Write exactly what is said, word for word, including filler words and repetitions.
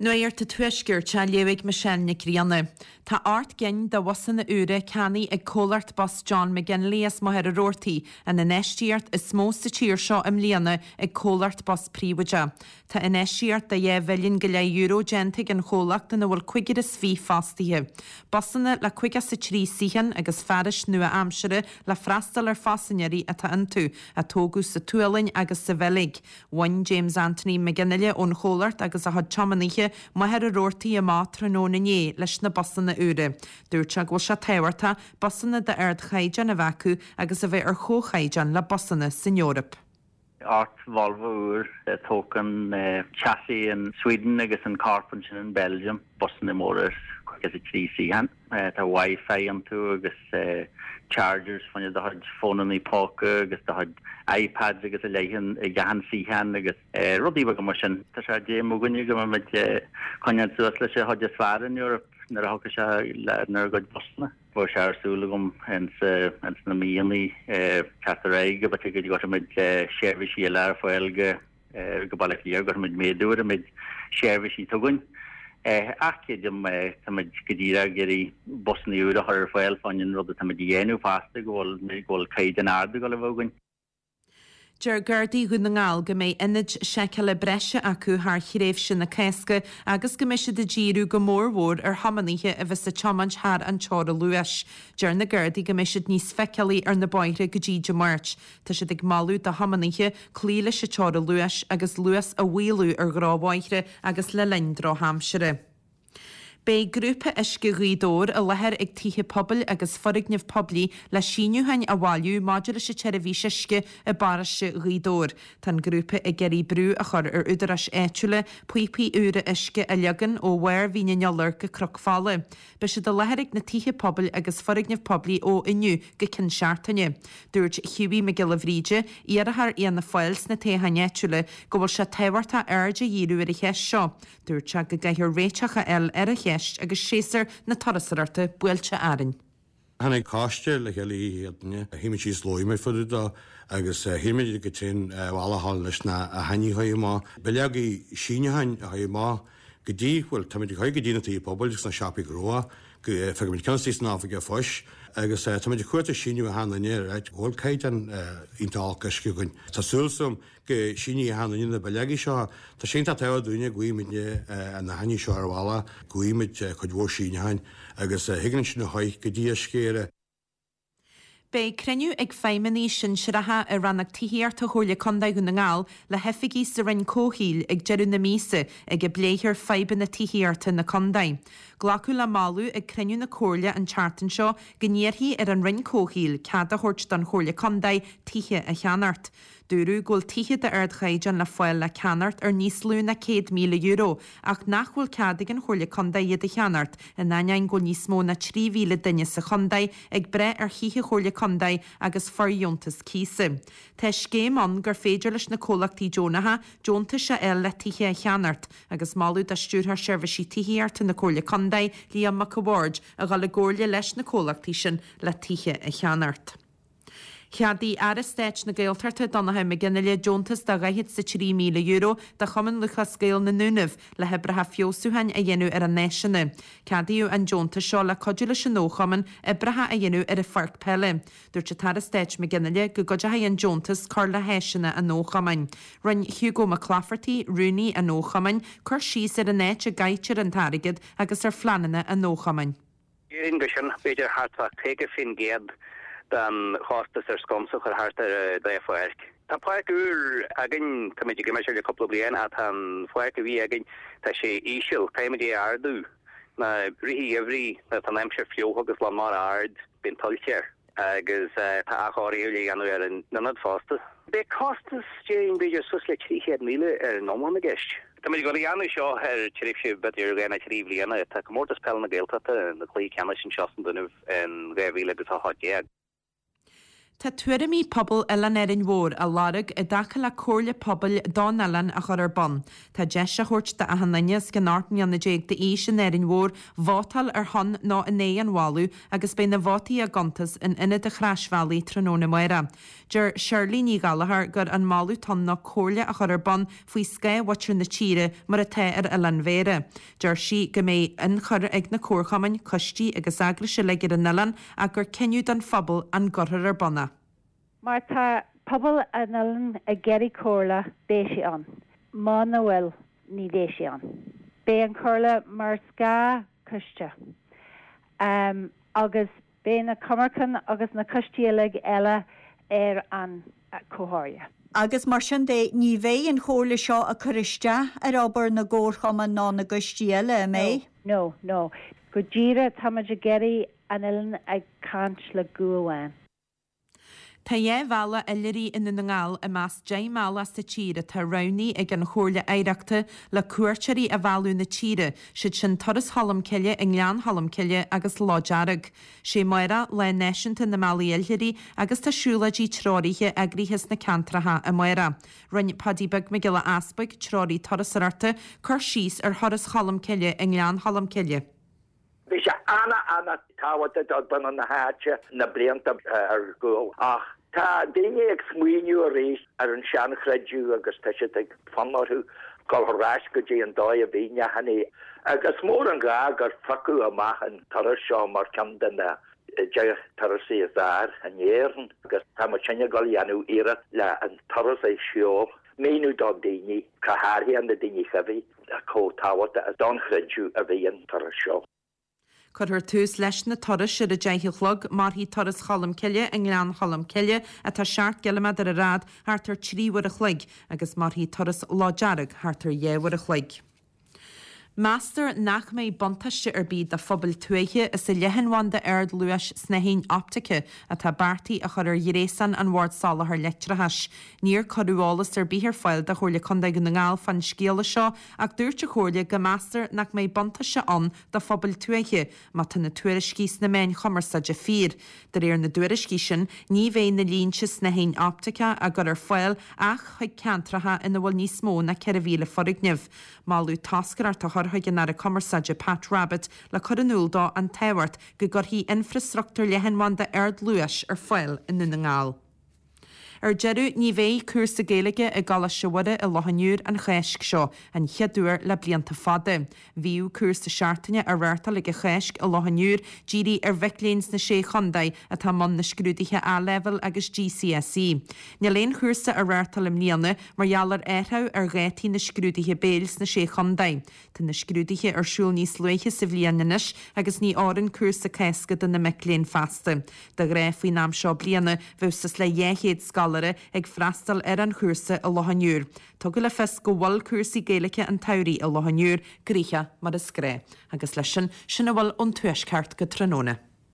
Nuacht an Tuaiscirt á léamh ag Michelle Nic Grianna. Tá ocht gcinn de bhusanna úra ceannaithe ag comhlacht bus John McGinley as Machaire Rabhartaigh, an infheistíocht is mó sa tír seo i mbliana ag comhlacht bus príobháideach. Tá infheistíocht de dhá mhilliún go leith euro déanta ag an chomhlacht ina bhfuil cúigear is fiche fostaithe. Busanna le caoga is a trí suíochán agus fearais nua-aimseartha le freastal ar phaisinéirí atá iontu, a tógadh sa tSualainn agus sa Bheilg. Bhain James Anthony McGinley ón chomhlacht agus a chuid tiománaithe Machaire Rabhartaigh amach tráthnóna inné leis na busanna úra. Dúirt sé go bhfuil sé tábhachtach busanna d'ardchaighdeán a bheith acu agus a bheith ar chomhchaighdeán le busanna san Eoraip. Ocht Volvo úr tógtha chassis in Sweden agus an corp ansin in Belgium, busanna móra agus a trí suíochán. Tá Wi-Fi iontu agus chargers fá choinne do chuid fónanna póca agus do chuid iPads agus a leithéid ag achan suíochán agus rudaí beaga mar sin. Tá sé d'aidhm againne go mbeimid coinneáil suas leis an chuid is fearr in Europe nuair a thiocfaidh sé lenár gcuid busanna. Bhí sé ar súil agam ins na míonna teacht ar aghaidh go b'fhéidir go gcuirfimid seirbhísí eile ar fáil go go Baile Átha Cliath, go gcuirfimid méadú ar an méid seirbhísí atá againn. Ach creidim táimid go díreach ag iarraidh busanna úra a chur ar fáil fá choinne an rud atáimid a dhéanamh fosta go bhfuil go bhfuil caighdeán ard ag dul a bheith againn. Deir Gardaí Dhún na nGall go mbeidh ionaid seiceála breise acu thar thréimhse na Cásca agus go mbeidh siad ag díriú go mórmhór ar thiománaithe a bheas ag tiomáint thar an teora luais. Deir na Gardaí go mbeidh siad níos feiceálaí ar na bóithre go dtí Dé Máirt. Tá siad ag moladh do thiománaithe cloí leis an teora luais agus luas a mhaolú ar dhrochbhóithre agus le linn drochaimsire. Beidh grúpa Uisce Ghaoth Dobhair i láthair ag tithe pobail agus foirgnimh poiblí le síniúcháin a bhailiú maidir leis an tseirbhís uisce i bparóiste Ghaoth Dobhair. Tá an grúpa ag iarraidh brú a chur ar údaráis áitiúla píopaí úra uisce a leagan ó bharr Mhín an Iolair go Cnoc Fola. Beidh siad i láthair ag na tithe pobail agus foirgnimh poiblí ó inniu go ceann seachtaine. Dúirt Hughie Mac Giolla Bhríde, iarrthóir Fhianna Fáil sna toghcháin áitiúla, go bhfuil sé tábhachtach aird a dhíriú ar an cheist seo. Dúirt sé go gcaithfear réiteach a fháil ar an cheist agus séasúr na turasóireachta buailte orainn. Tháinig coiste le chéile chéadaine, shuigh muid síos labhair muid fá dtaobh dó agus shíl muid go tréan bhealach leis na haithní a chur amach. Bileogaí síniúcháin a chur amach go dtí bhuel táimid ag cur go dtí na tithe pobail agus na siopaí gnó go feicimid ceann san oifig phoist agus táimid ag cuartú síniú achan duine ar áit go bhfuil caighdeán iontach olc uisce againn. Tá súil agam go síneoidh achan duine na bileogaí seo. Tá sé iontach tábhachtach dúinne go bhfaighimid na haithní seo ar bhealach, go bhfaighimid cuid mhór síniúcháin agus thuigeann sin a choich go dtí uisce Éire. Beidh cruinniú ag feidhmeannaigh sinsearacha i rannóg tithíochta Chomhairle Contae Dhún na nGall le hoifigigh sa Roinn Comhshaoil ag deireadh na míosa ag a bpléifear fadhbanna tithíochta na contae. Glacadh le moladh ag cruinniú na Comhairle an tseachtain seo go n-iarrfaí ar an Roinn Comhshaoil cead a thabhairt don Chomhairle Contae tithe a cheannacht. Dúradh go bhfuil tithe d'ardchaighdeán le fáil le ceannacht ar níos lú ná céad míle euro, ach nach bhfuil cead ag an Chomhairle Contae iad a cheannacht, in ainneoin go bhfuil níos mó ná trí mhíle duine sa chontae ag breith ar thithe Chomhairle Contae agus fóirdheontas cíosa. Tá scéim ann gur féidir leis na comhlachtaí deonacha deontais a fháil le tithe a cheannacht, agus moladh do Stiúrthóir Seirbhísí Tithíochta na Comhairle Contae, Liam Mac a' Bhaird, a dhul i gcomhairle leis na comhlachtaí sin le tithe a cheannacht. Cheadaigh Aire Stáit na Gaeltachta Donnchadh Mac Fhionnghaile deontas de dhaichead is a trí míle euro do Chumann Lúthchleas Gael na nDúnaibh le hoibreacha feabhsúcháin a dhéanamh ar a n-áiseanna. Ceadaíodh an deontas seo le cuidiú leis an fhochumann oibreacha a dhéanamh ar a pháirc peile. Dúirt an tAire Stáit Mac Fhionnghaile go gcuideoidh an deontas cur le háiseanna an fhochumainn. Rinne Hugo Mac Claifertaigh, rúnaí an fhochumainn, cur síos ar an áit a gcaitear an t-airgead agus ar phleananna an fhochumainn. Déarfainn gur sin b'fhéidir thart fá caoga faoin gcéad den chostas ar sconsa a chur thart ar an dá pháirc. Tá páirc úr againn, táimid ag imirt air le cúpla bliain ach tá an pháirc a bhí againn, tá sé íseal, caithfimid é a ardú. Na i rith an gheimhridh nuair atá an aimsir fliuch agus lán mara ard, bíonn tuilte air agus tá athchóiriú le dhéanamh ar an ionad fosta. Beidh costas, déarfainn, b'fhéidir suas le trí chéad míle ar an iomlán i gceist. Táimid ag dul a dhéanamh seo ar tréimhse b'fhéidir dhá nó trí bhliana. Tá Comórtas Peile na Gaeltachta, na cluichí ceannais anseo sna Dúnaibh in dhá mhíle agus a hocht déag. Tá tuairimí pobal Oileán Árainn Mhór á lorg i dtaca le comhairle pobail don oileán a chur ar bun. Tá deis á thabhairt d'achan duine os cionn ocht mbliana déag d'aois in Árainn Mhór vótáil ar shon nó in aghaidh an mholadh agus beidh na vótaí á gcuntas in Ionad an Chroisbhealaigh tráthnóna amárach. Deir Shirley Ní Ghallchóir gur an moladh atá ann ná comhairle a chur ar bun faoi scáth mhuintir na tíre mar atá ar Oileán Bhéarra. Deir sí go mbeidh ionchur ag na comharchumainn, coistí agus eagrais uilig ar an oileán ach gur cinneadh don phobal an gcuirfear ar bun é. Má tá pobal an oileáin ag iarraidh comhairle, beidh sé ann. Muna bhfuil, ní bheidh sé ann. Beidh an chomhairle mar scáthchoiste. Um, agus beidh na comharchumainn agus na coistí uilig eile ar an chomhairle. Agus mar sin de ní bheidh an chomhairle seo ag cur isteach ar obair na gcomharchumann ná na gcoistí eile an mbeidh? No, no. Go díreach táimid ag iarraidh an oileán ag caint le guth amháin. Tá dhá bhealach oilithrigh i nDún na nGall i measc deich mbealach sa tír atá roghnaithe ag an Chomhairle Oidhreachta le cuairteoirí a mhealladh na tíre, siad sin Turas Cholm Cille i nGleann Cholm Cille agus Loch Dearg. Sé amárach Lá Náisiúnta na mBealaí Oilithrigh agus tá siúlóidí treoraithe eagraithe sna ceantracha amárach. Rinne Paddy Beag Mac Giolla Easpaig, treoraí turasóireachta, cur síos ar Thuras Cholm Cille i nGleann Cholm Cille. Bhí sé an-an-tábhachtach do dhaoine na háite na blianta ar gcúl ach tá daoine ag smaoineamh arís ar an seanchreideamh agus tá siad ag fonn orthu dul ar ais go dtí an dóigh a bhí neachanna agus mór an gá gur phiocadh amach an turas seo mar ceann de na deich turasaí is fearr in Éirinn agus tá muid sinne ag dul a dhéanamh iarracht le an turas a sheol míniú do daoine go háirithe na daoine chuibhí chomh tábhachtach don chreideamh a bhí an turas seo. Cuirfear tús leis na turais ar a deich a chlog, mairfidh turas Cholm Cille i nGleann Cholm Cille atá seacht gciliméadar ar fhad thart ar trí uair a chloig agus mairfidh turas Loch Dearg thart ar dhá uair a chloig. Meastar nach mbeidh buntáiste ar bith do phobail tuaithe as an leathanbhanda ardluais snáithín optaice atá beartaithe a chur ar ghréasán an Bhord Soláthair Leictreachais. Níor cuireadh eolas ar bith ar fáil do Chomhairle Contae Dhún na nGall fán scéala seo ach dúirt an Chomhairle go meastar nach mbeidh buntáiste ann do phobail tuaithe má tá na tuairiscí sna meáin chumarsáide fíor. De réir na dtuairiscí sin, ní bheidh na línte snáithín optaice á gcur ar fáil ach chuig ceantracha ina bhfuil níos mó ná ceithre mhíle foirgneamh. Moladh toscaireacht a chur chuig an Aire Cumarsáide Pat Rabbitte le cur in iúl dó an tábhacht go gcuirfí infreastruchtúr leathanbhanda ardluais ar fáil i nDún na nGall. Ar deireadh ní bheidh cúrsa Gaeilge i gColáiste Mhuire i Loch an Iúir an Cháisc seo, an chéad uair le blianta fada. Bhíodh cúrsa seachtaine á reáchtáil ag an Cháisc i Loch an Iúir dírithe ar mhic léinn sna sé chontae atá i mbun na scrúduithe A-Leibhéal agus GCSE. Níl aon chúrsa á reáchtáil i mbliana mar gheall ar athrú ar dhátaí na scrúduithe béil sna sé chontae. Tá na scrúduithe ar siúl níos luaithe sa bhliain anois agus ní fhóireann cúrsa Cásca do na mic léinn feasta. De ghnáth faoin am seo bliana bheadh suas le dhá chéad scoláire ag freastal ar an chúrsa i Loch an Iúir. Tugadh le fios go bhfuil cúrsaí Gaeilge an tsamhraidh i Loch an Iúir gnoitheach mar is gnách. Agus leis sin sin a bhfuil ón tuaisceart go tráthnóna.